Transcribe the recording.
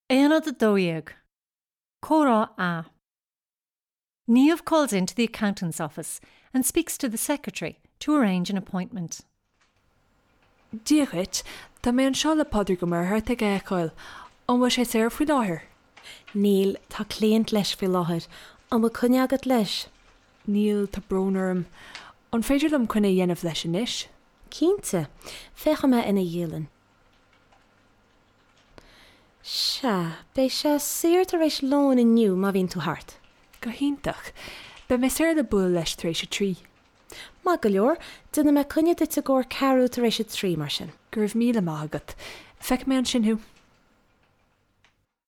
Aonad 12. Comhrá A. Niamh calls in to the accountant's office and speaks to the secretary to arrange an appointment. Dia dhuit, tá mé anseo le Pádraig Ó Muircheartaigh a fheiceáil. An bhfuil sé saor faoi láthair? Níl, tá cliant leis faoi láthair. An bhfuil coinne agat leis? Níl, tá brón orm. An féidir liom coinne a dhéanamh leis anois? Cinnte, féachfaidh mé ina dhialann. Sea, beidh sé saor tar éis lóin inniu má bhíonn tú thart. Go hiontach. Beidh mé saor le bualadh leis tar éis a 3. Maith go leor, déanfaidh mé coinne duit i gcomhair ceathrú tar éis a 3 mar sin. Go raibh míle maith agat. Feicfidh mé ansin thú.